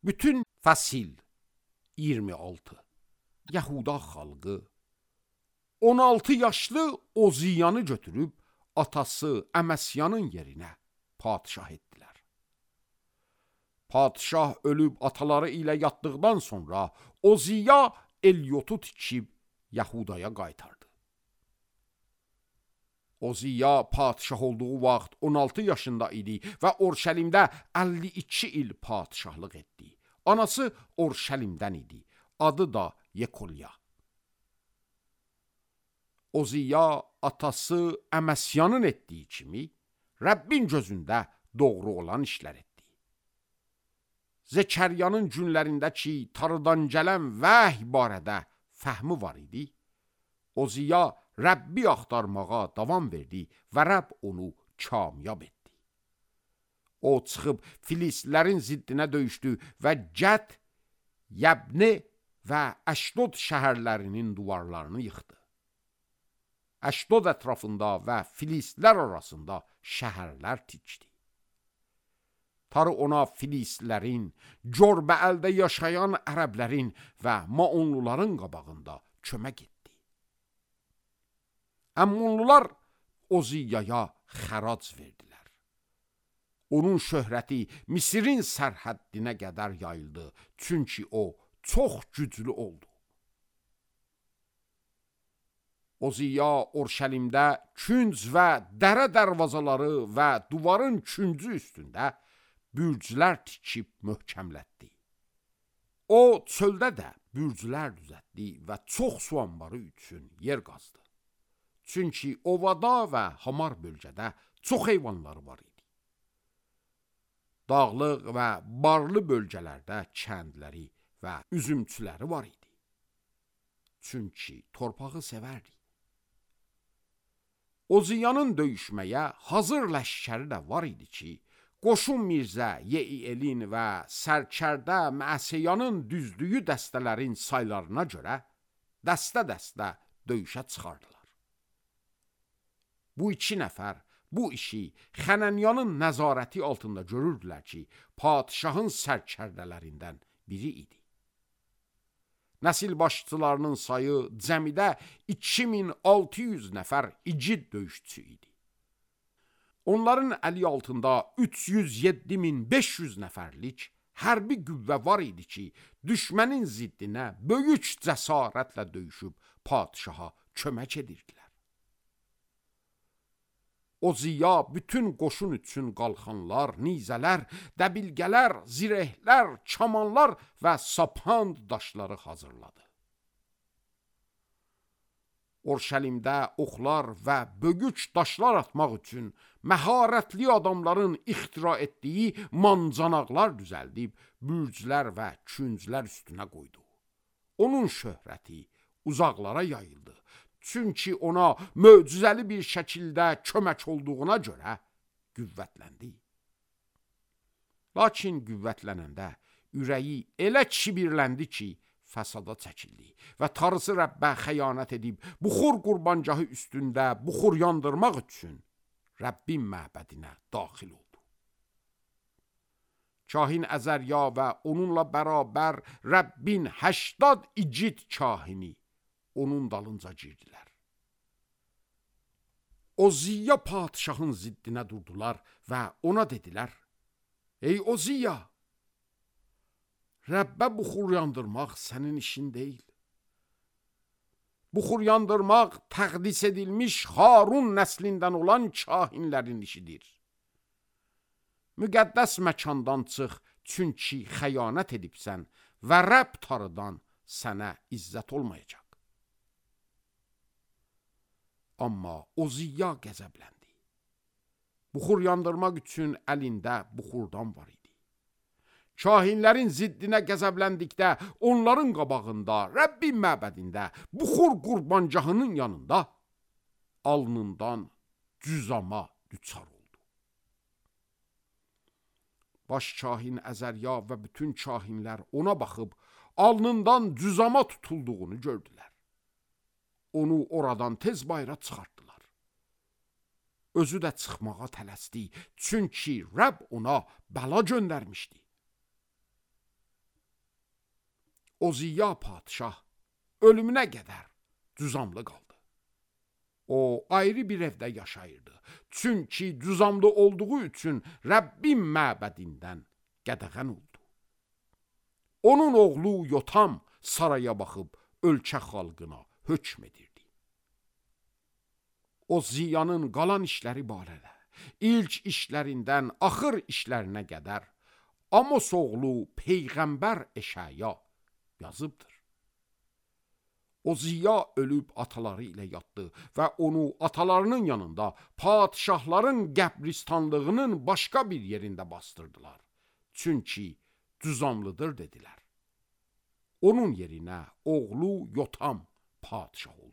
Bütün Fəsil 26 Yahuda xalqı 16 yaşlı Oziyanı götürüb atası Əməsyanın yerinə padişah etdilər. Padişah ölüb ataları ilə yatdıqdan sonra Oziya Elyotu tikib Yahudaya qaytardı. Oziya padişah olduğu vaxt 16 yaşında idi və Orşəlimdə 52 il padişahlıq etdi. Anası Orşəlimdən idi. Adı da Yekolya. Oziya atası Əməsyanın etdiyi kimi Rəbbin gözündə doğru olan işlər etdi. Zekəryanın günlərindəki tarıdan gələn vəhy barədə fəhmi var idi. Oziya Rəbbi axtarmağa davam verdi və Rəbb onu kamyab etdi. O çıxıb Filistlərin ziddinə döyüşdü və Cət, Yəbni və Əşdod şəhərlərinin divarlarını yıxdı. Əşdod ətrafında və Filistlər arasında şəhərlər tikdi. Tarı ona Filistlərin, Corbəəldə yaşayan ərəblərin və Maonluların qabağında kömək etdi. Əmmonlular Oziyaya xərac verdilər. Onun şöhrəti Misirin sərhəddinə qədər yayıldı, çünki o çox güclü oldu. Oziya Orşəlimdə künc və dərə dərvazaları və duvarın küncü üstündə bürclər tikib möhkəmlətdi. O çöldə də bürclər düzəltdi və çox su anbarı üçün yer qazdı. Çünki ovada və hamar bölgədə çox heyvanları var idi. Dağlıq və barlı bölgələrdə kəndləri və üzümçüləri var idi. Çünki torpağı sevərdi. Oziyanın döyüşməyə hazır ləşkəri də var idi ki, Qoşun Mirzə Yeiyelin və sərkərdə Məsəyanın düzdüyü dəstələrin saylarına görə dəstə-dəstə döyüşə çıxardılar. Bu iki nəfər bu işi Xənənyanın nəzarəti altında görürdülər ki, padişahın sərkərdələrindən biri idi. Nəsil başçılarının sayı cəmidə 2600 nəfər igid döyüşçü idi. Onların əli altında 307500 nəfərlik hərbi qüvvə var idi ki, düşmənin ziddinə böyük cəsarətlə döyüşüb padişaha kömək edirdilər. Oziya bütün qoşun üçün qalxanlar, nizələr, dəbilgələr, zirehlər, kamanlar və sapand daşları hazırladı. Orşəlimdə oxlar və bögüç daşlar atmaq üçün məharətli adamların ixtira etdiyi mancanaqlar düzəldib, bürclər və künclər üstünə qoydu. Onun şöhrəti uzaqlara yayıldı. Çünki ona möcüzəli bir şəkildə kömək olduğuna görə qüvvətləndi. Lakin qüvvətlənəndə ürəyi elə kibirləndi ki, fəsada çəkildi və tarısı Rəbbə xəyanət edib, buxur qurbancahı üstündə buxur yandırmaq üçün Rəbbin məbədinə daxil oldu. Kahin Əzərya və onunla bərabər Rəbbin 80 igid kahini onun dalınca girdilər. Oziya padişahın ziddinə durdular və ona dedilər: Ey Oziya, Rəbbə buxur yandırmaq sənin işin deyil. Buxur yandırmaq təqdis edilmiş Harun nəslindən olan kahinlərin işidir. Müqəddəs məkandan çıx, çünki xəyanət edibsən və Rəbb tarıdan sənə izzət olmayacaq. Amma Oziya qəzəbləndi. Buxur yandırmaq üçün əlində buxurdan var idi. Kahinlərin ziddinə qəzəbləndikdə onların qabağında, Rəbbin məbədində, buxur qurbancahının yanında alnından cüzama düçar oldu. Baş kahin Əzərya və bütün kahinlər ona baxıb alnından cüzama tutulduğunu gördülər. Onu oradan tez bayıra çıxartdılar. Özü də çıxmağa tələsdi, çünki Rəbb ona bəla göndərmişdi. o Ziya padişah ölümünə qədər düzamlı qaldı. O ayrı bir evdə yaşayırdı. Çünki düzamlı olduğu üçün Rəbbin məbədindən qədəğən oldu. Onun oğlu Yotam saraya baxıb ölkə xalqına hökm edirdi. O Ziyanın qalan işləri barədə, ilk işlərindən axır işlərinə qədər Amos oğlu Peyğəmbər Eşaya yazıbdır. O Ziya ölüb ataları ilə yatdı və onu atalarının yanında padişahların qəbristanlığının başqa bir yerində bastırdılar. Çünki düzamlıdır dedilər. Onun yerinə oğlu Yotam padişah oldu.